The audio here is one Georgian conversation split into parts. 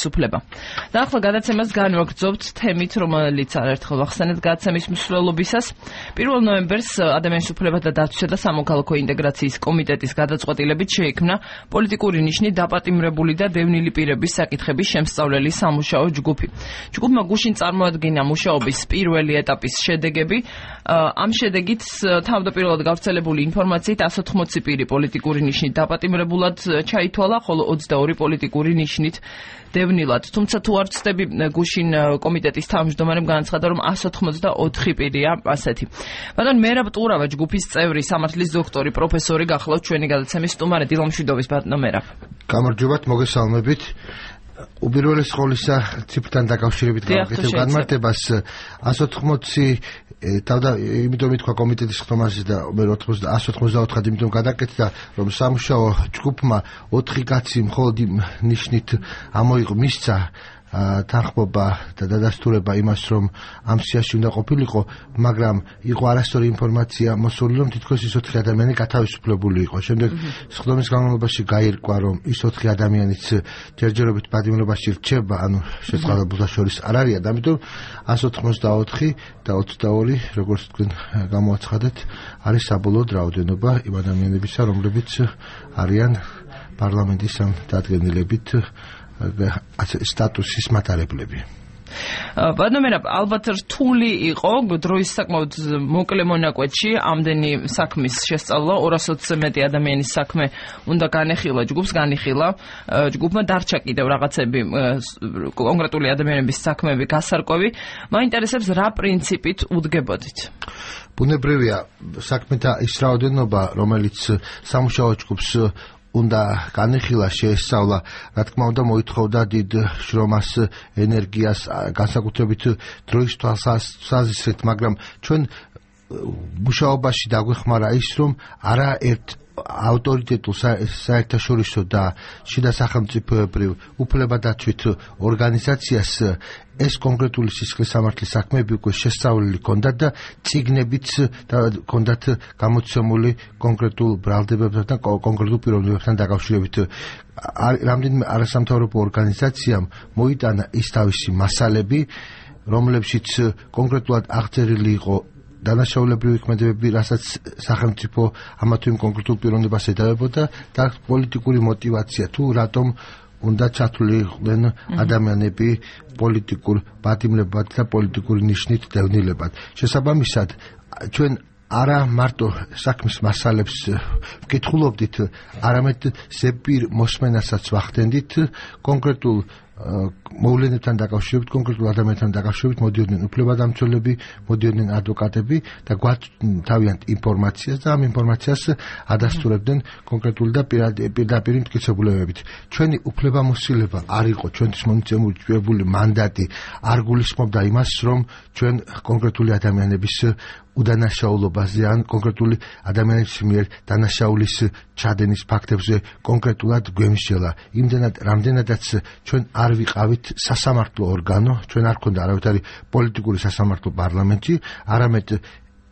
თავისუფლება. და ახლა გადაცემას განვაგრძობთ თემით, რომელიც არაერთხელ ვახსენეთ გადაცემის მსვლელობისას. 1 ნოემბერს ადამიანის უფლებათა დაცვისა და სამოქალაქო ინტეგრაციის კომიტეტის გადაწყვეტილებით შეიქმნა პოლიტიკური ნიშნით დაპატიმრებული და დევნილი პირების საკითხების შემსწავლელი სამუშაო ჯგუფი. ჯგუფმა გუშინ წარმოადგინა მუშაობის პირველი ეტაპის შედეგები. ამ შედეგით თავდაპირველად გავრცელებული ინფორმაციით 180 პირი პოლიტიკური ნიშნით დაპატიმრებულად ჩაითვალა, ხოლო 22 პოლიტიკური ნიშნით დევნილად. თუმცა თუ არ ვცდები, გუშინ კომიტეტის თავმჯდომარემ განაცხადა, რომ 184 პირია ასეთი. ბატონ მერაბ ტურავა, ჯგუფის წევრი, სამართლის დოქტორი, პროფესორი გახლავთ ჩვენი გადაცემის სტუმარი. დილამშვიდობის ბატონო მერაბ. გამარჯობათ, მოგესალმებით. უპირველეს ყოვლისა ციფრთან დაკავშირებით გავაკეთებ განმარტებას 180 იმიტომ ითქვა კომიტეტის ხდომაზე და 184 იმიტომ გადაკეთდა, რომ სამუშაო ჯგუფმა 4 კაცი მხოლოდ ნიშნით მისცა თანხმობა და დადასტურება იმას, რომ ამ სიაში უნდა ყოფილიყო, მაგრამ იყო არასწორი ინფორმაცია მოსული, რომ თითქოს ის 4 ადამიანი გათავისუფლებული იყო. შემდეგ სხდომის განმავლობაში გაირკვა, რომ ის 4 ადამიანიც ჯერჯერობით პატიმრობაში რჩება, ანუ შეწყდებულთა შორის არ არიან, ამიტომ 184 და 22, როგორც თქვენ გამოაცხადეთ, არის საბოლოო რაოდენობა იმ ადამიანებისა, რომლებიც არიან პარლამენტის ამ დადგენილებით სტატუსის მატარებლები. ბატონო მერაბ, ალბათ რთული იყო დროის საკმაოდ მოკლე მონაკვეთში ამდენი საქმის შესწავლა, 220-ზე მეტი ადამიანის საქმე უნდა განეხილა, ჯგუფმა დარჩა კიდევ რაღაცები კონკრეტული ადამიანების საქმეები გასარკვევი. მაინტერესებს რა პრინციპით უდგებოდით? ბუნებრივია საქმეთა ის რაოდენობა, რომელიც სამუშაო ჯგუფს უნდა განეხილა, შეესწავლა, რა თქმა უნდა მოითხოვდა დიდ შრომას, ენერგიას, განსაკუთრებით დროის თვალსაზრისით, მაგრამ ჩვენ მუშაობაში დაგვეხმარა ის, რომ არაერთ ავტორიტეტულ საერთაშორისო და შიდა სახელმწიფოებრივ უფლებადაცვით ორგანიზაციას ეს კონკრეტული სისხლის სამართლის საქმეები უკვე შესწავლილი ჰქონდათ და წიგნებიც ჰქონდათ გამოცემული კონკრეტულ ბრალდებებთან და კონკრეტულ პიროვნებებთან დაკავშირებით. რამდენიმე არასამთავრობო ორგანიზაციამ მოიტანა ის თავისი მასალები, რომლებშიც კონკრეტულად აღწერილი იყო დანაშაულებრივი ქმედებები, რასაც სახელმწიფო ამა თუ იმ კონკრეტულ პიროვნებას ედავებოდა და პოლიტიკური мотиваცია, თუ რატომ უნდა ჩათვლიყვნენ ადამიანები პოლიტიკურ პატიმრებად და პოლიტიკური ნიშნით დევნილებად. შესაბამისად, ჩვენ არა მარტო საქმის მასალებს ვკითხულობდით, არამედ ზეპირ მოსმენასაც ვახდენდით კონკრეტულ მოვლენებთან დაკავშირებით, კონკრეტულ ადამიანთან დაკავშირებით მოდიოდნენ უფლებადამცველები, მოდიოდნენ ადვოკატები და გვათავიანთ ინფორმაციას და ამ ინფორმაციას ადასტურებდნენ კონკრეტული და პირდაპირ მტკიცებულებებით. ჩვენი უფლებამოსილება არ იყო, ჩვენთვის მონაწილეებული მანდატი არ გულისხმობდა იმას, რომ ჩვენ კონკრეტული ადამიანების უდანაშაულობაზე ან კონკრეტული ადამიანების მიერ დანაშაულის ჩადენის ფაქტებზე კონკრეტულად გვემსჯელა. იმდენად, რამდენადაც ჩვენ არ ვიყავით სასამართლო ორგანო, ჩვენ არ ქონდა არავითარი პოლიტიკური სასამართლო პარლამენტში, არამედ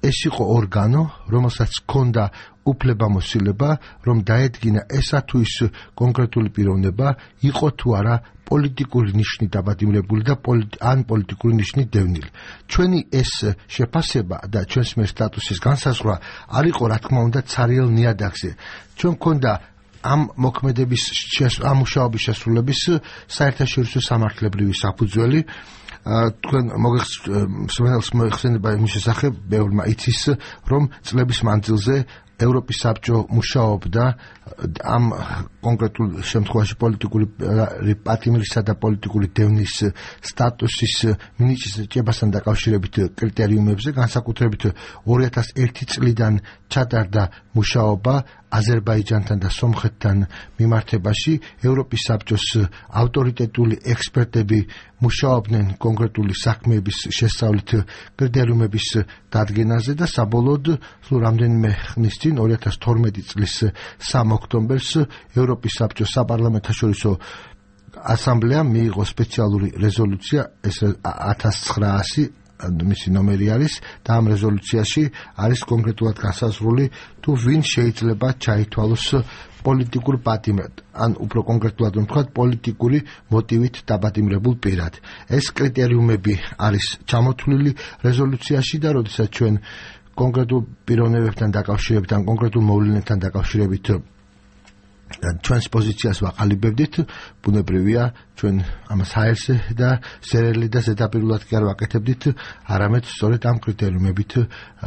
ეს იყო ორგანო, რომელსაც ჰქონდა უფლებამოსილება, რომ დაედგინა ესა თუ ის კონკრეტული პიროვნება იყო თუ არა პოლიტიკური ნიშნით დაპატიმრებული და ან პოლიტიკური ნიშნით დევნილი. ჩვენი ეს შეფასება და ჩვენს მიერ სტატუსის განსაზღვრა არ იყო, რა თქმა უნდა, ცარიელ ნიადაგზე. ჩვენ გქონდა ამ მოქმედების ამ მუშაობის შესრულების საერთაშორისო სამართლებრივი საფუძველი. თქვენ მოიხსენება იმის შესახებ, ბევრმა იცის, რომ წლების მანძილზე ევროპის საბჭო მუშაობდა ამ კონკრეტულ შემთხვევაში პოლიტიკური პატიმრისა და პოლიტიკური დევნის სტატუსის მინიჭებასთან დაკავშირებით კრიტერიუმებზე, განსაკუთრებით 2001 წლიდან ჩატარდა მუშაობა აზერბაიჯანთან და სომხეთთან მიმართებაში. ევროპის საბჭოს ავტორიტეტული ექსპერტები მუშაობდნენ კონკრეტული საქმეების შესწავლით კრიტერიუმების დადგენაზე და საბოლოოდ რამდენიმე ხნის წინ 2012 წლის 3 ოქტომბერს ევროპის საბჭოს საპარლამენტაშორისო ასამბლეამ მიიღო სპეციალური რეზოლუცია 1900 მისი ნომერი არის და ამ რეზოლუციაში არის კონკრეტულად განსაზღვრული თუ ვინ შეიძლება ჩაითვალოს პოლიტიკურ პატიმრად, ან უფრო კონკრეტულად ვთქვათ, პოლიტიკური მოტივით დაპატიმრებულ პირად. ეს კრიტერიუმები არის ჩამოთვლილი რეზოლუციაში და როდესაც ჩვენ კონკრეტულ პიროვნებებთან დაკავშირებით, ან კონკრეტულ მოვლენებთან დაკავშირებით ჩვენს პოზიციას ვაყალიბებდით, ბუნებრივია ჩვენ ამას ჰაერზე და სერელი და ზედაპირულად კი არ ვაკეთებდით, არამედ სწორედ ამ კრიტერიუმებით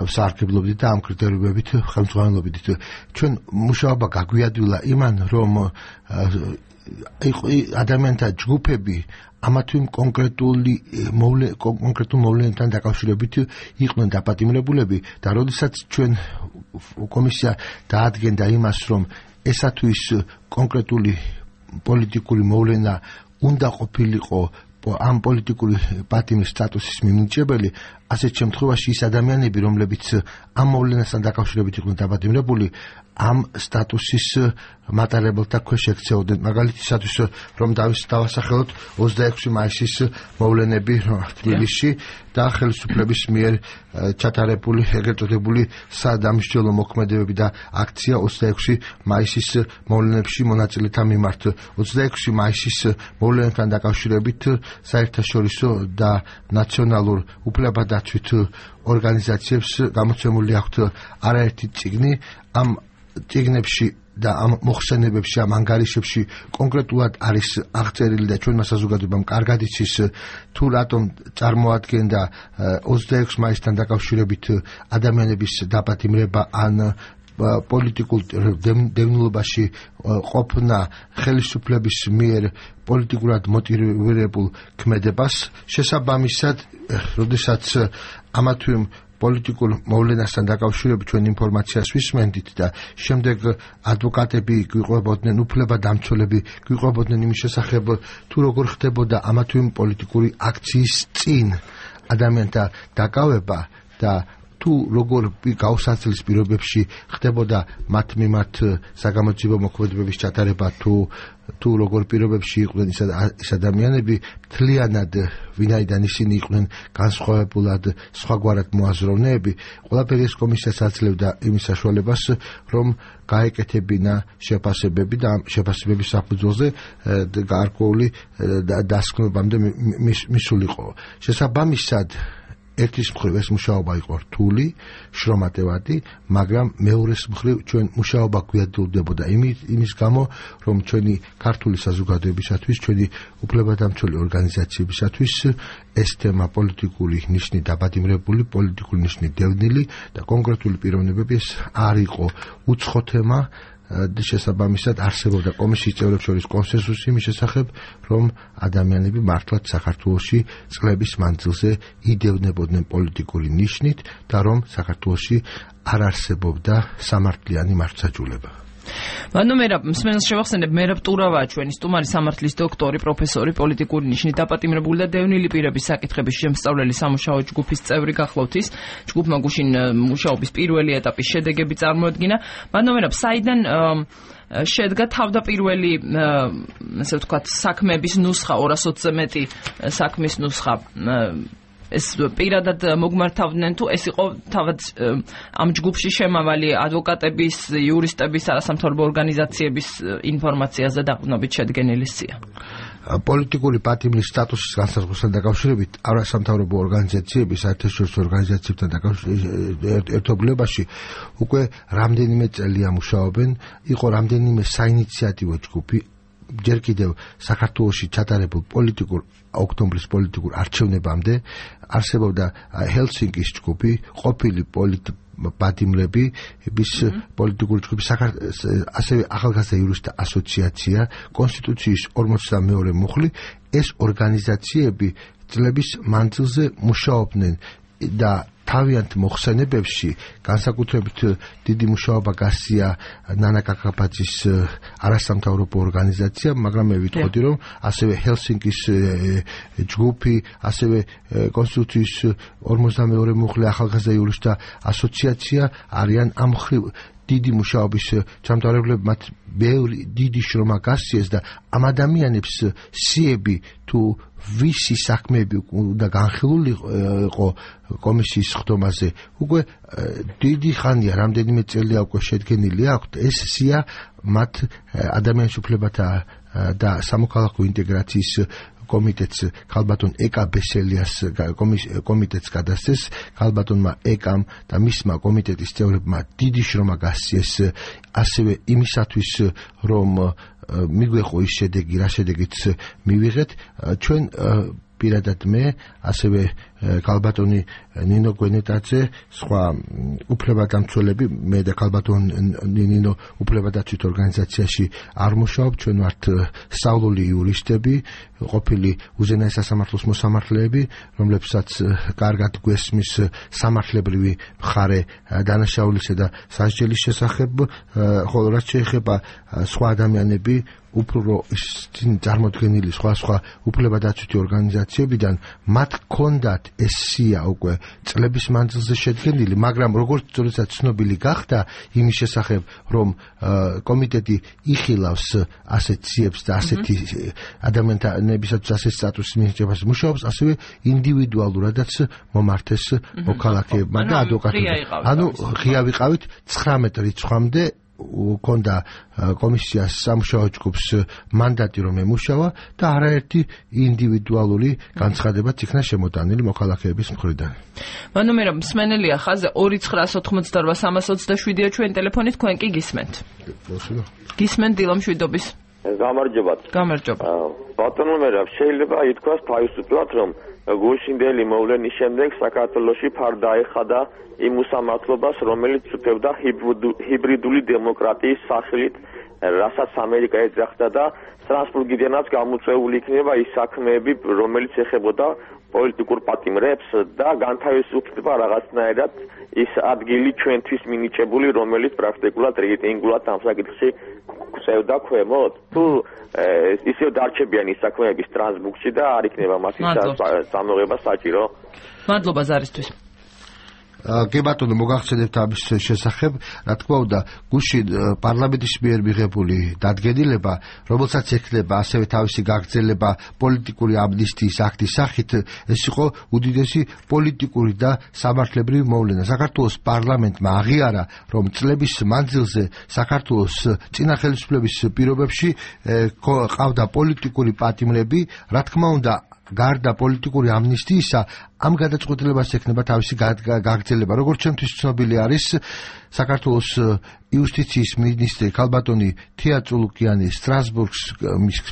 ვსარგებლობდით და ამ კრიტერიუმებით ხელმძღვანელობდით. ჩვენ მუშაობა გაგვიადვილა იმან, რომ ადამიანთა ჯგუფები ამა თუ იმ კონკრეტულ მოვლენებთან დაკავშირებით იყვნენ დაპატიმრებულები და როდესაც ჩვენ კომისია დაადგენდა იმას, რომ ესა თუ ის კონკრეტული პოლიტიკური მოვლენა უნდა ყოფილიყო ამ პოლიტიკური პატიმრის სტატუსის მიმნიჭებელი, ასეთ შემთხვევაში ის ადამიანები, რომლებიც ამ მოვლენასთან დაკავშირებით იყვნენ დაპატიმრებული, ამ სტატუსის მატარებელთა ქვეშ ექცეოდნენ. მაგალითისათვის, რომ დავასახელოთ 26 მაისის მოვლენები თბილისში და ხელისუფლების მიერ ჩატარებული ეგრეთ წოდებული სადამსჯელო მოქმედებები და აქცია 26 მაისის მოვლენებში მონაწილეთა მიმართ. 26 მაისის მოვლენებთან დაკავშირებით საერთაშორისო და ნაციონალურ უფლებადაცვით ორგანიზაციებს გამოცემული აქვთ არაერთი წიგნი. ამ წიგნებში და ამ მოხსენებებში, ამ ანგარიშებში კონკრეტულად არის აღწერილი და ჩვენმა საზოგადოებამ კარგად იცის თუ რატომ წარმოადგენდა 26 მაისთან დაკავშირებით ადამიანების დაპატიმრება ან პოლიტიკურ დევნილობაში ყოფნა ხელისუფლების მიერ პოლიტიკურად მოტივირებულ ქმედებას. შესაბამისად, როდესაც ამა თუ იმ პოლიტიკურ მოვლენასთან დაკავშირებით ჩვენ ინფორმაციას ვისმენდით და შემდეგ ადვოკატები გვიყვებოდნენ, უფლებადამცველები გვიყვებოდნენ იმის შესახებ თუ როგორ ხდებოდა ამა თუ იმ პოლიტიკური აქციის წინ ადამიანთა დაკავება და თუ როგორ გაუსაცლის პირობებში ხდებოდა მათ მიმართ საგამოძიებო მოქმედებების ჩატარება, თუ როგორ პირობებში იყვნენ ის ადამიანები, მთლიანად ვინაიდან ისინი იყვნენ განსხვავებულად სხვაგვარად მოაზროვნეები, ყველაფერი ეს კომისიას აძლევდა იმის საშუალებას, რომ გაეკეთებინა შეფასებები და ამ შეფასებების საფუძველზე გარკვეული დასკვნებამდე მისულიყო. შესაბამისად, ერთის მხრივ ეს მუშაობა იყო რთული, შრომატევადი, მაგრამ მეორეს მხრივ ჩვენ მუშაობა გვიადვილდებოდა იმის გამო, რომ ჩვენი ქართული საზოგადოებისათვის, ჩვენი უფლებადამცველი ორგანიზაციებისათვის ეს თემა პოლიტიკური ნიშნით დაპატიმრებული, პოლიტიკური ნიშნით დევნილი და კონკრეტული პიროვნებები ეს არ იყო უცხო თემა. შესაბამისად არსებობდა კომისიის წევრებს შორის კონსენსუსი იმის შესახებ, რომ ადამიანები მართლაც საქართველოში წლების მანძილზე იდევნებოდნენ პოლიტიკური ნიშნით და რომ საქართველოში არ არსებობდა სამართლიანი მართლმსაჯულება. მსმენელს შევახსენებ, მერაბ ტურავაა ჩვენი სტუმარი, სამართლის დოქტორი, პროფესორი, პოლიტიკური ნიშნით დაპატიმრებული და დევნილი პირების საკითხების შემსწავლელი სამუშაო ჯგუფის წევრი გახლავთ ის. ჯგუფმა გუშინ მუშაობის პირველი ეტაპის შედეგები წარმოადგინა. საიდან შედგა თავდაპირველი, ასე ვთქვათ, საქმეების ნუსხა, 220-ზე მეტი საქმის ნუსხა. ეს პირადად მოგმართავდნენ თუ ეს იყო თავად ამ ჯგუფში შემავალი ადვოკატების, იურისტების, არასამთავრობო ორგანიზაციების ინფორმაციაზე დაყრდნობით შედგენილი სია? პოლიტიკური პატიმრის სტატუსის განსაზღვრასთან დაკავშირებით არასამთავრობო ორგანიზაციების, საერთაშორისო ორგანიზაციებთან ერთობლიობაში უკვე რამდენიმე წელია მუშაობენ, იყო რამდენიმე საინიციატივო ჯგუფი, ჯერ კიდევ საქართველოში ჩატარებულ ოქტომბრის პოლიტიკურ არჩევნებამდე არსებობდა ჰელსინკის ჯგუფი, ყოფილი პატიმრების პოლიტიკური ჯგუფი, ასევე ახალგაზრდა იურისტთა ასოციაცია, კონსტიტუციის 42 მუხლი. ეს ორგანიზაციები წლების მანძილზე მუშაობდნენ და თავიანთ მოხსენებებში განსაკუთრებით დიდი მუშაობა გასწია ნანა კაკაბაძის არასამთავრობო ორგანიზაციამ, მაგრამ მე ვიტყოდი, რომ ასევე ჰელსინკის ჯგუფი, ასევე კონსტიტუციის 42 მუხლი, ახალგაზრდა იურისტთა ასოციაცია არიან ამ მხრივ დიდი მუშაობის ჩამთავრებლები, მათ ბევრი დიდი შრომა გასწიეს და ამ ადამიანებს სიები თუ თუ ვისი საქმეები უნდა განხილული იყო კომისიის ხდომაზე, უკვე დიდი ხანია, რამდენიმე წელია უკვე შედგენილი აქვთ ეს სია მათ ადამიანის უფლებათა და სამოქალაქო ინტეგრაციის კომიტეტს ქალბატონ ეკა ბესელიას კომიტეტს გადასცეს. ქალბატონმა ეკამ და მისმა კომიტეტის წევრებმა დიდი შრომა გასცეს ასევე იმისათვის რომ მიგვეყო ის შედეგი, რა შედეგიც მივიღეთ. ჩვენ პირადად მე, ასევე ქალბატონი ნინო გვენეტაძე, სხვა უფლებადამცველები, მე და ქალბატონ ნინო უფლებადაცვით ორგანიზაციაში არ მუშაობ, ჩვენ ვართ სწავლული იურისტები, ყოფილი უზენაეს სასამართლოს მოსამართლეები, რომლებსაც კარგად გვესმის სამართლებრივი მხარე დანაშაულისა და სასჯელის შესახებ, ხოლო რაც შეეხება სხვა ადამიანები, უფრო წარმოდგენილი სხვა უფლებადაცვითი ორგანიზაციებიდან მათ ჰქონდათ ეს სია უკვე წლების მანძილზე შედგენილი, მაგრამ როგორც როდესაც ცნობილი გახდა იმის შესახებ, რომ კომიტეტი იხილავს ასეთ სიებს და ასეთი ადამიანებისათვის ასეთ სტატუსის მიღებას მუშაობს, ასევე ინდივიდუალურადაც მომართეს მოქალაქეებმა და ადვოკატებმა. ანუ ღია ვიყავით 19 რიცხვამდე კონდა კომისიას სამუშაო ჯგუფს მანდატი რომ ემუშავა და არაერთი ინდივიდუალური განცხადებაც იქნა შემოტანილი მოქალაქეების მხრიდან. მანუმერო მსმენელია ხაზე 2988327-ია ჩვენ ტელეფონით, თქვენ კი გისმენთ. გისმენთ დილამშვიდობის. გამარჯობათ. გამარჯობა. ბატონო მერაბ, შეიძლება ითქვას თავისუფლად, რომ გუშინდელი მოვლენის შემდეგ საქართველოში ფარდა ეხადა იმ უსამართლობას, რომელიც უწევდა ჰიბრიდული დემოკრატიის სახელით, რასაც ამერიკა ეძახდა და სტრასბურგიდანაც გამოწვეული იქნება ის საქმეები, რომელიც ეხებოდა პოლიტიკურ პატიმრებს და განთავისუფლდება რაღაცნაირად ის ადგილი ჩვენთვის მინიჭებული, რომელიც პრაქტიკულად რეიტინგულად ამ საკითხში გვწევდა ქვემოთ. თუ ისევ დარჩებიან ის საქმეები სტრასბურგში და არ იქნება მათი წამოღება საჭირო. მადლობა ზარისთვის. კი ბატონო, მოგახსენებთ ამის შესახებ, რა თქმა უნდა, გუშინ პარლამენტის მიერ მიღებული დადგენილება, რომელსაც ექნება ასევე თავისი გაგრძელება პოლიტიკური ამნისტიის აქტის სახით, ეს იყო უდიდესი პოლიტიკური და სამართლებრივი მოვლენა. საქართველოს პარლამენტმა აღიარა, რომ წლების მანძილზე საქართველოს წინა ხელისუფლების პირობებში ყავდა პოლიტიკური პატიმრები, რა თქმა უნდა, გარდა პოლიტიკური ამნისტიისა, ამ გადაწყვეტილებას ექნება თავისი გაგრძელება. როგორც ჩემთვის ცნობილი არის, საქართველოს იუსტიციის მინისტრი ქალბატონი თია წულუკიანი სტრასბურგს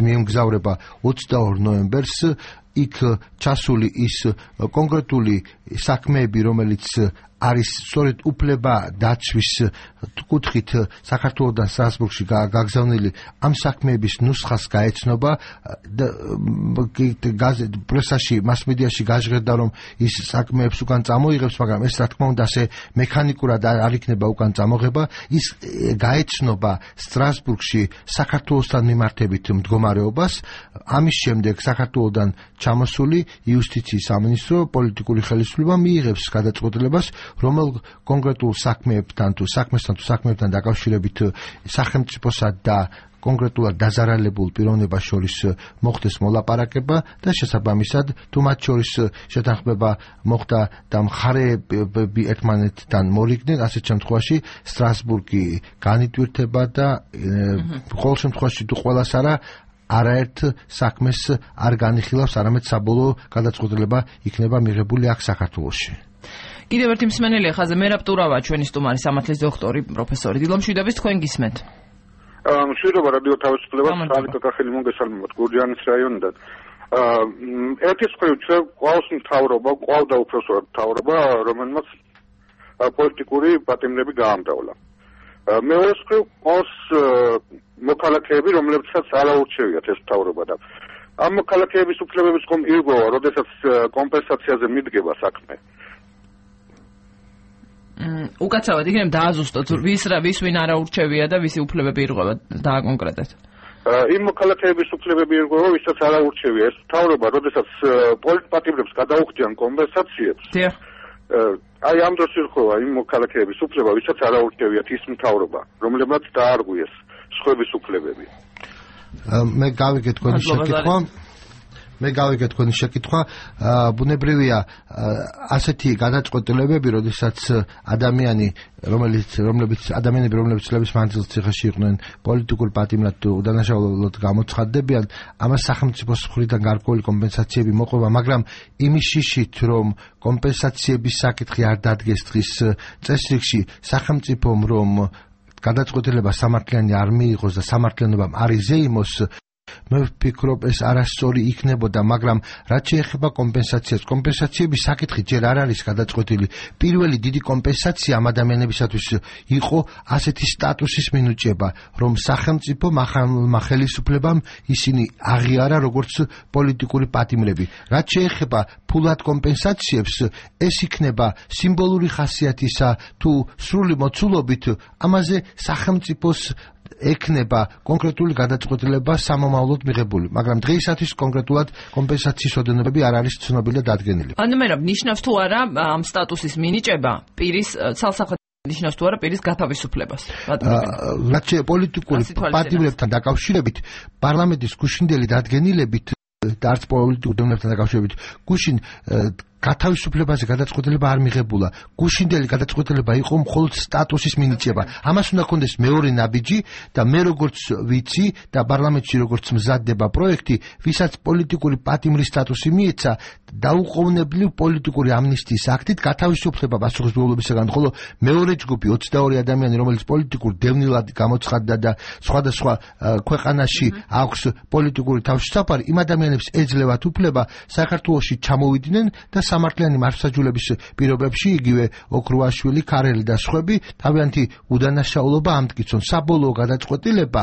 მიემგზავრება 22 ნოემბერს. იქ ჩასული ის კონკრეტული საქმეები, რომელიც არის სწორედ უფლება დაცვის კუთხით საქართველოსთან სტრასბურგში გაგზავნილი, ამ საქმეების ნუსხას გაეცნობა და პრესაში, მასმედიაში გაჟღერდა, რომ ის საქმეებს უკან წამოიღებს, მაგრამ ეს რა თქმა უნდა ასე მექანიკურად არ იქნება უკან წამოღება, ის გაეცნობა სტრასბურგში საქართველოსთან მიმართებით მდგომარეობას. ამის შემდეგ საქართველოსთან ჩამოსული იუსტიციის სამინისტრო პოლიტიკური ხელისუფლება მიიღებს გადაწყვეტილებას, რომელ კონკრეტულ საქმეებთან თუ საქმესთან დაკავშირებით სახელმწიფოსა და კონკრეტულად დაზარალებულ პიროვნებას შორის მოხდეს მოლაპარაკება და შესაბამისად თუ მათ შორის შეთანხმება მოხდა და მხარეები ერთმანეთთან მორიგდნენ, ასეთ შემთხვევაში სტრასბურგი განიტვირთება და ყოველ შემთხვევაში თუ ყველას არაერთ საქმეს არ განიხილავს, არამედ საბოლოო გადაწყვეტილება იქნება მიღებული აქ საქართველოში. კიდევ ერთი მსმენელია ხაზე, მერაბ ტურავა, ჩვენი სტუმარი, სამართლის დოქტორი, პროფესორი. დილამშვიდობის, თქვენ გისმენთ. მშვიდობა რადიო თავისუფლებას, სალიკო კახელი მოგესალმებათ გურჯაანის რაიონიდან. ერთის მხრივ ყავს ყავდა უпроსორად მთავრობა, რომელმაც პოლიტიკური პატიმრები გაამტოვლა. მეორეს მხრივ ყავს მოქალაქეები, რომლებსაც არაურჩევიათ ეს მთავრობა და ამ მოქალაქეების უფლებების ხომ ირგოვა, როდესაც კომპენსაციაზე მიდგება საქმე. უკაცრავად იქნება დააზუსტოთ ვის ვინ არაურჩევია და ვისი უფლებები ირღვევა დააკონკრეტეთ. იმ მოქალაქეების უფლებები ირღვევა, ვისაც არაურჩევია ეს მთავრობა, როდესაც პოლიტპატიმრებს გადაუხდიან კომპენსაციებს. აი ამ დროს ირღვევა იმ მოქალაქეების უფლება, ვისაც არაურჩევიათ ის მთავრობა, რომლებმაც დაარღვიეს სხვების უფლებები. მე გავიგე თქვენი შეკითხვა. მე გავიგე თქვენი შეკითხვა. ბუნებრივია ასეთი გადაწყვეტილებები, როდესაც რომლებიც წლების მანძილზე ციხეში იყვნენ პოლიტიკურ პატიმრად თუ უდანაშაულოდ გამოცხადდებიან, ამას სახელმწიფოს მხრიდან გარკვეული კომპენსაციები მოყვება, მაგრამ იმის შიშით, რომ კომპენსაციების საკითხი არ დადგეს დღის წესრიგში, სახელმწიფომ რომ გადაწყვეტილება სამართლიანი არ მიიღოს და სამართლიანობამ არ იზეიმოს, მე ვფიქრობ ეს არასწორი იქნებოდა, მაგრამ რაც შეეხება კომპენსაციას, კომპენსაციების საკითხი ჯერ არ არის გადაწყვეტილი. პირველი დიდი კომპენსაცია ამ ადამიანებისათვის იყო ასეთი სტატუსის მინიჭება, რომ სახელმწიფო ხელისუფლებამ ისინი აღიარა როგორც პოლიტიკური პატიმრები. რაც შეეხება ფულად კომპენსაციებს, ეს იქნება სიმბოლური ხასიათისა თუ სრული მოცულობით, ამაზე სახელმწიფოს ექნება კონკრეტული გადაწყვეტილება სამომავლოდ მიღებული, მაგრამ დღეისათვის კონკრეტულად კომპენსაციის ოდენობები არ არის ცნობილი და დადგენილი. ანუ ნიშნავს თუ არა ამ სტატუსის მინიჭება პირის ცალსახად ნიშნავს თუ არა პირის გათავისუფლებას. რაც პოლიტიკური პატიმრებთან დაკავშირებით, პარლამენტის გუშინდელი დადგენილებით და არც პოლიტიკურ დონეებთან დაკავშირებით, გუშინ გათავისუფლებაზე გადაწყვეტილება არ მიღებულა. გუშინდელი გადაწყვეტილება იყო მხოლოდ სტატუსის მინიჭება. ამას უნდა ქონდეს მეორე ნაბიჯი და მე როგორც ვიცი და პარლამენტში როგორც მზადდება პროექტი, ვისაც პოლიტიკური პატიმრის სტატუსი მიეცა, დაუყოვნებლივ პოლიტიკური ამნისტიის აქტით გათავისუფლება პასუხისმგებლობისაგან, ხოლო მეორე ჯგუფი 22 ადამიანი, რომელიც პოლიტიკურ დევნილად გამოცხადდა და სხვადასხვა ქვეყანაში აქვს პოლიტიკური თავშესაფარი, იმ ადამიანებს ეძლევათ უფლება საქართველოში ჩამოვიდნენ და სამართლიანი მართლმსაჯულების პირობებში იგივე ოქრუაშვილი, ქარელი და სხვები თავიანთი უდანაშაულობა ამტკიცონ. საბოლოო გადაწყვეტილება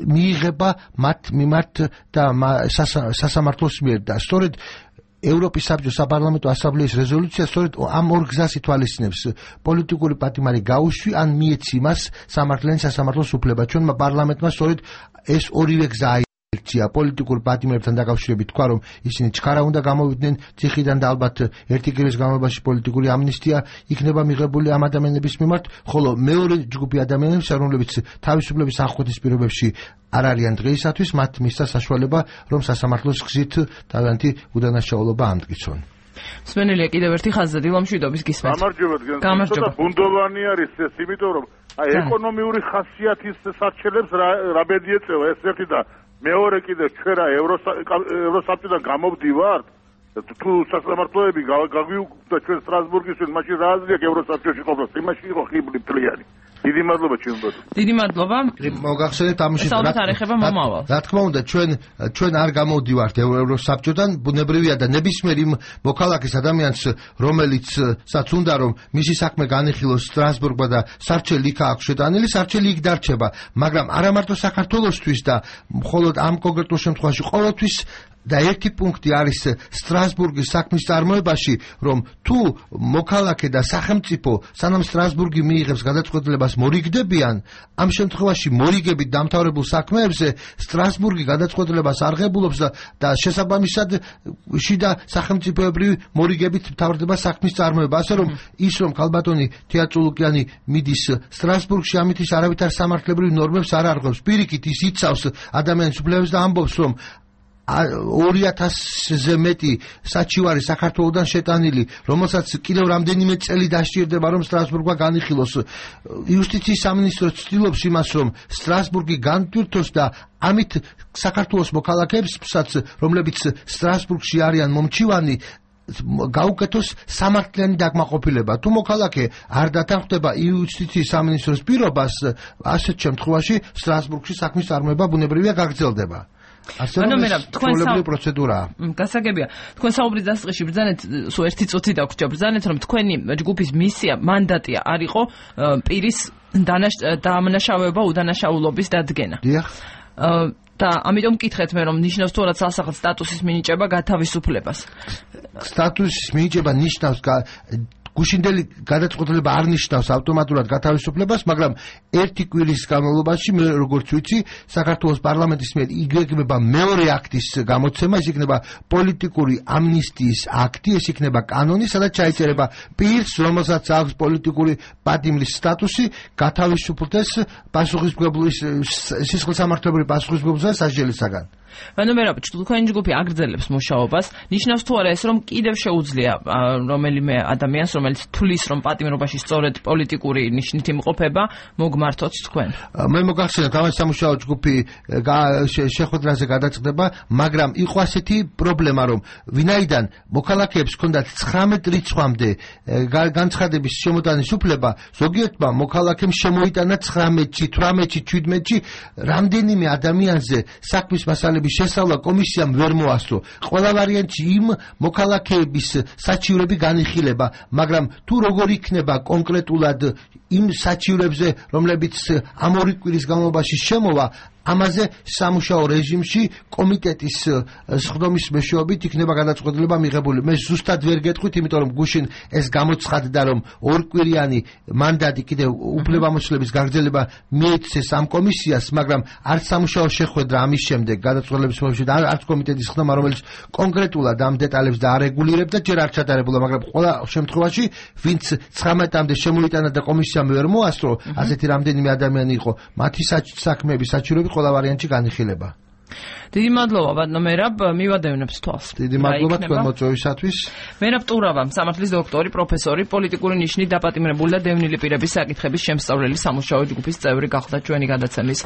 მიიღება მათ მიმართ და სასამართლოს მიერ და სწორედ ევროპის საბჭოს საპარლამენტო ასამბლეის რეზოლუცია სწორედ ამ ორ გზას ითვალისწინებს. პოლიტიკური პატიმარი გაუშვი ან მიეცი მას სამართლიანი სასამართლოს უფლება. ჩვენმა პარლამენტმა სწორედ ეს ორივე გზა პოლიტიკურ პატიმრებთან დაკავშირებით თქვა, რომ ისინი ჩქარა უნდა გამოვიდნენ ციხიდან და ალბათ ერთი კვირის განმავლობაში პოლიტიკური ამნისტია იქნება მიღებული ამ ადამიანების მიმართ, ხოლო მეორე ჯგუფი ადამიანებისა, რომლებიც თავისუფლების აღკვეთის პირობებში არ არიან დღეისათვის, მათ მისცა საშუალება, რომ სასამართლოს გზით თავიანთი უდანაშაულობა ამტკიცონ. მსმენელია კიდევ ერთი ხაზზე დილა მშვიდობის გისმენთ. გამარჯობა. ბუნდოვანი არის ეს, იმიტომ რომ ეკონომიური ხასიათის სარჩელებს რა ბედი ეწევა ეს ერთი და მეორე კიდე ჩვენ რა ევროსაბჭოდან გამოვდივართ, თუ სასამართლოები გაგვიუქმდა ჩვენ სტრასბურგისთვის, მაშინ რა აზრი აქვს ევროსაბჭოში ყოფნას, იმაში იყო ხიბლი მთლიანი. დიდი მადლობა ჩემბოთ. დიდი მადლობა. მოგახსენეთ ამაში რა თქმა უნდა ჩვენ არ გამოვდივართ ევროსაბჭოდან, ბუნებრივია და ნებისმიერ იმ მოქალაქის ადამიანს, რომელიცაც უნდა რომ მისი საქმე განიხილოს სტრასბურგმა და სარჩელი იქ აქვს შეტანილი, სარჩელი იქ დარჩება, მაგრამ არა მარტო საქართველოსთვის და მხოლოდ ამ კონკრეტულ შემთხვევაში ყოველთვის და ერთი პუნქტი არის სტრასბურგის საქმის წარმოებაში, რომ თუ მოქალაქე და სახელმწიფო სანამ სტრასბურგი მიიღებს გადაწყვეტილებას მორიგდებიან, ამ შემთხვევაში მორიგებით დამთავრებულ საქმეებზე სტრასბურგი გადაწყვეტილებას არღებულობს და შესაბამისად შიდა სახელმწიფოებრივი მორიგებით მთავრდება საქმის წარმოება, ასე რომ ის რომ ქალბატონი თეატრულუკიანი მიდის სტრასბურგში, ამით ის არავითარ სამართლებრივ ნორმებს არ არღვევს, პირიქით ის იცავს ადამიანის უფლებებს და ამბობს, რომ 2000-ზე მეტი საჩივარი საქართველოდან შეტანილი, რომელსაც კიდევ რამდენიმე წელი დასჭირდება, რომ სტრასბურგმა განიხილოს. იუსტიციის სამინისტრო ცდილობს იმას, რომ სტრასბურგი განტვირთოს და ამით საქართველოს მოქალაქეებსაც, რომლებიც სტრასბურგში არიან მომჩივანი, გაუკეთოს სამართლიანი დაკმაყოფილება. თუ მოქალაქე არ დათანხმდება იუსტიციის სამინისტროს პირობას, ასეთ შემთხვევაში სტრასბურგში საქმის წარმოება ბუნებრივია გაგრძელდება. თქვენ პროცედურაა. გასაგებია. თქვენ საუბრის დასაწყისში ბრძანეთ, სულ ერთი წუთი დაგვრჩა, ბრძანეთ, რომ თქვენი ჯგუფის მისია, მანდატია არ იყო პირის დამნაშავეობა უდანაშაულობის დადგენა. დიახ. და ამიტომ მკითხეთ მე, რომ ნიშნავს თუ არა ცალსახად სტატუსის მინიჭება გათავისუფლებას. სტატუსის მინიჭება ნიშნავს გუშინდელი გადაწყვეტილება არ ნიშნავს ავტომატურად გათავისუფლებას, მაგრამ ერთი კვირის განმავლობაში მე როგორც ვიცი, საქართველოს პარლამენტის მიერ იგეგმება მეორე აქტის გამოცემა, ეს იქნება პოლიტიკური ამნისტიის აქტი, ეს იქნება კანონი, სადაც ჩაიწერება პირს, რომელსაც აქვს პოლიტიკური პატიმრის სტატუსი, გათავისუფლდეს პასუხისმგებლობის სისხლისამართლებრივი პასუხისმგებლობისა და სასჯელისაგან. ანუ მე რა თქვენი ჯგუფი აგრძელებს მუშაობას, ნიშნავს თუ არა ეს რომ კიდევ შეუძლია რომელიმე ადამიანს, რომელიც თulis რომ პატიმრობაში სწორედ პოლიტიკური ნიშნით იმყოფება, მოგმართოთ თქვენ. მე მოგახსენებთ, ამას სამუშაო ჯგუფი შეხვედრაზე გადაწყდება, მაგრამ იყო ასეთი პრობლემა, რომ ვინაიდან მოქალაქეებს ჰქონდათ 19 რიცხვამდე განცხადების შემოტანის უფლება, ზოგიერთმა მოქალაქემ შემოიტანა 19-ში, 18-ში, 17-ში რამდენიმე ადამიანზე საქმის მასალების შესწავლა კომისიამ ვერ მოასწრო. ყველა ვარიანტში იმ მოქალაქეების საჩივრები განიხილება, მაგრამ თუ როგორ იქნება კონკრეტულად იმ საჩივრებზე, რომლებიც ამ 2 კვირის განმავლობაში შემოვა, ამაზე სამუშაო რეჟიმში კომიტეტის სხდომის მეშვეობით იქნება გადაწყვეტილება მიღებული. მე ზუსტად ვერ გეტყვით, იმიტომ რომ გუშინ ეს გამოცხადდა, რომ 2 კვირიანი მანდატი კიდევ უფლებამოსილების გაგრძელება მიეცეს ამ კომისიას, მაგრამ არც სამუშაო შეხვედრა ამის შემდეგ გადაწყვეტილების მეშვეობით, არც კომიტეტის სხდომა, რომელიც კონკრეტულად ამ დეტალებს და არეგულირებდა, ჯერ არ ჩატარებულა, მაგრამ ყველა შემთხვევაში, ვინც 19-მდე შემოიტანა და კომისიამ ვერ მოასწრო, ასეთი რამდენიმე ადამიანი იყო, მათი საქმეების საჩივრები ყველა ვარიანტში განიხილება. დიდი მადლობა ბატონო მერაბ, მივადევნებს თვალს. დიდი მადლობა თქვენ მოწვევისათვის. მერაბ ტურავა, სამართლის დოქტორი, პროფესორი, პოლიტიკური ნიშნით დაპატიმრებული და დევნილი პირების საკითხების შემსწავლელი სამუშაო ჯგუფის წევრი გახდა ჩვენი გადაცემის